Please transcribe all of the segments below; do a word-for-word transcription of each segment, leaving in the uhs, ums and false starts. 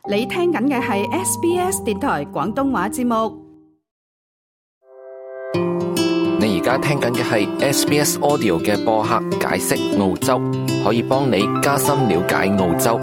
你聽緊嘅係 S B S 電台廣東話節目。你而家聽緊嘅係 S B S Audio 嘅播客解釋澳洲，可以幫你加深了解澳洲。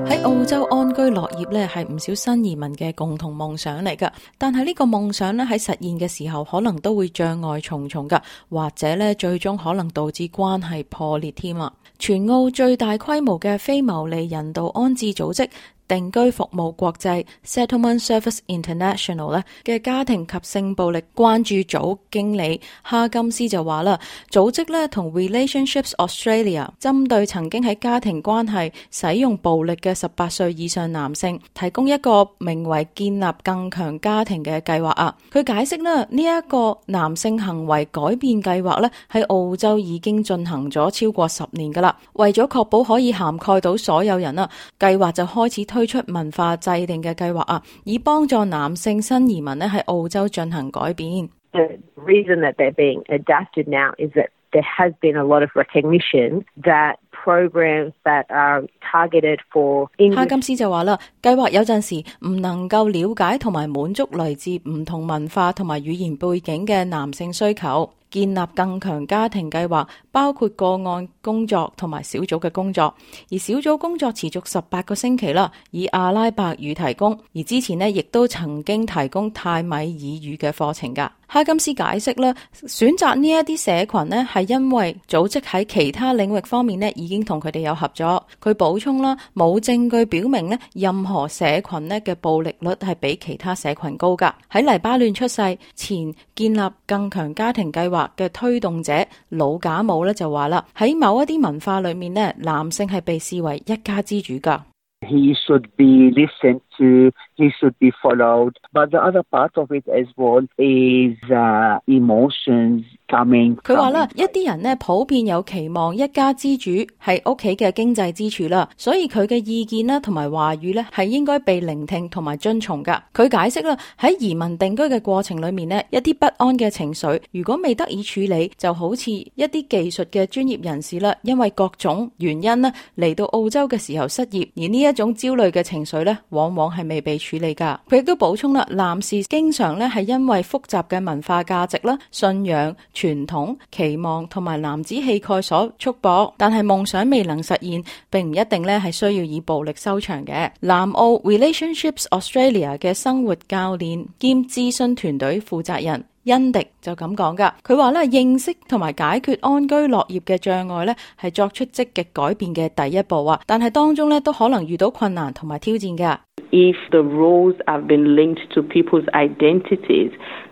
喺澳洲安居樂業咧，係唔少新移民嘅共同夢想嚟噶。但係呢個夢想咧喺實現嘅時候，可能都會障礙重重噶，或者咧最終可能導致關係破裂添啊！全澳最大規模嘅非牟利人道安置組織定居服務國際 Settlement Service International 咧嘅家庭及性暴力關注組經理哈金斯就話啦，組織咧同 Relationships Australia 針對曾經喺家庭關係使用暴力嘅十八歲以上男性，提供一個名為建立更強家庭嘅計劃啊。佢解釋啦，呢一個男性行為改變計劃咧喺澳洲已經進行咗超過十年噶啦，為咗確保可以涵蓋到所有人啊，計劃就開始推出文化制定嘅計劃啊，以幫助男性新移民咧喺澳洲進行改變。The reason that they're being adapted now is that there has been a lot of recognition that programs that are targeted for English。哈金斯就話啦，計劃有陣時唔能夠了解同埋滿足來自唔同文化同埋語言背景嘅男性需求。建立更強家庭計劃包括個案工作同埋小組嘅工作，而小組工作持續十八個星期啦，以阿拉伯語提供，而之前呢亦都曾經提供泰米爾語嘅課程㗎。哈金斯解釋啦，選擇呢一啲社群呢係因為組織喺其他領域方面呢已經同佢哋有合作。佢補充啦，冇證據表明呢任何社群呢嘅暴力率係比其他社群高㗎。喺黎巴嫩出世前建立更強家庭計劃嘅推動者魯賈姆咧就話啦，喺某一啲文化裏面咧，男性係被視為一家之主噶。He should be listened to, he should be followed. But the other part of it as well is uh, emotions coming. 佢話啦，一啲人呢普遍有期望一家之主係屋企嘅經濟支柱啦，所以佢嘅意見啦同埋話語呢係應該被聆聽同埋遵從噶。佢解釋啦，喺移民定居嘅過程裏面呢，一啲不安嘅情緒如果未得以處理，就好似一啲技術嘅專業人士啦，因為各種原因呢嚟到澳洲嘅時候失業，而呢一種焦慮嘅情緒呢往往係未被處理噶。佢亦都補充啦，男士經常呢係因為複雜嘅文化價值啦、信仰、傳統、期望同埋男子氣概所束縛，但係夢想未能實現，並唔一定呢係需要以暴力收場嘅。南澳 Relationships Australia 嘅生活教練兼諮詢團隊負責人恩迪就咁講噶，佢話咧，認識同埋解決安居樂業嘅障礙咧，係作出積極改變嘅第一步啊，但係當中咧都可能遇到困難同埋挑戰噶。If the roles have been linked to people's identities,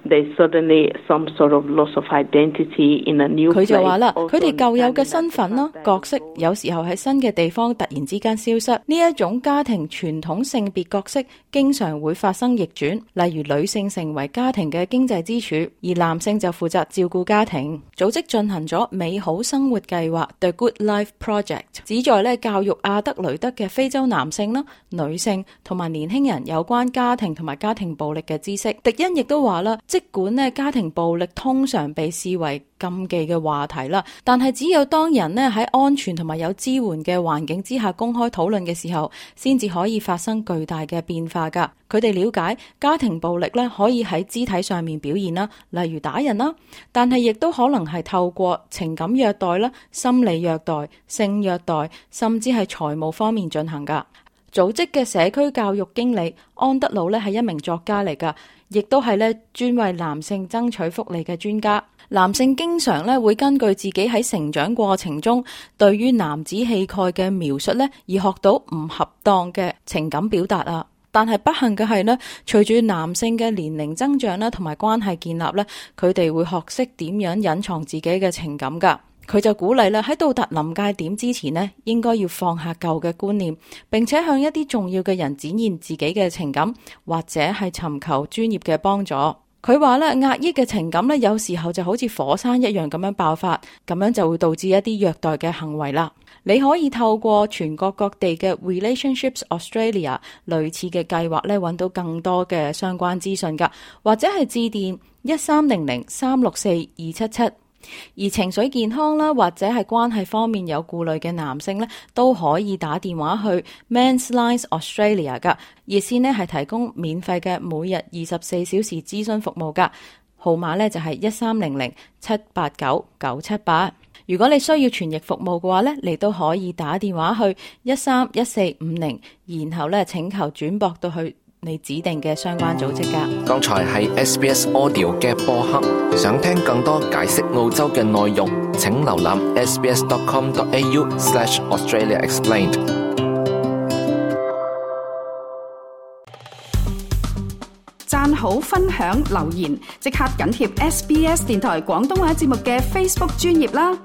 there's suddenly some sort of loss of identity in a new place. 佢就話啦，佢哋舊有嘅身份啦、角色，有時候喺新嘅地方突然之間消失。呢一種家庭傳統性別角色經常會發生逆轉，例如女性成為家庭嘅經濟支柱，而男性就負責照顧家庭。組織進行咗美好生活計劃 The Good Life Project， 旨在咧教育阿德雷德嘅非洲男性啦、女性同埋年輕人有關家庭同埋家庭暴力嘅知識。迪恩亦都話啦，即管咧家庭暴力通常被視為禁忌嘅話題啦，但係只有當人咧喺安全同埋有支援嘅環境之下公開討論嘅時候，先至可以發生巨大嘅變化噶。佢哋了解家庭暴力咧可以喺肢體上面表現啦，例如打人啦，但係亦都可能係透過情感虐待啦、心理虐待、性虐待，甚至係財務方面進行噶。組織嘅社區教育經理安德魯咧係一名作家嚟噶，亦都係咧專為男性爭取福利嘅專家。男性經常咧會根據自己喺成長過程中對於男子氣概嘅描述咧，而學到唔恰當嘅情感表達啊。但係不幸嘅係呢，隨住男性嘅年齡增長啦，同埋關係建立咧，佢哋會學識點樣隱藏自己嘅情感噶。佢就鼓勵啦，喺到達臨界點之前呢，應該要放下舊嘅觀念，並且向一啲重要嘅人展現自己嘅情感，或者係尋求專業嘅幫助。佢話咧，壓抑嘅情感咧，有時候就好似火山一樣咁樣爆發，咁樣就會導致一啲虐待嘅行為啦。你可以透過全國各地嘅 Relationships Australia 類似嘅計劃咧，揾到更多嘅相關資訊噶，或者係致電一三零零三六四二七七。而情緒健康啦，或者係關係方面有顧慮嘅男性咧，都可以打電話去 Men's Lines Australia 噶，熱線咧係提供免費嘅每日二十四小時諮詢服務噶，號碼咧就係一三零零七八九九七八。如果你需要傳譯服務嘅話咧，你都可以打電話去一三一四五零，然後咧請求轉駁到去你指定嘅相關組織噶。剛才係 S B S Audio 嘅播客，想聽更多解釋澳洲嘅內容，請瀏覽 sbs.com.au slash Australia Explained。讚好、分享、留言，即刻緊貼 S B S 電台廣東話節目嘅 Facebook 專頁啦！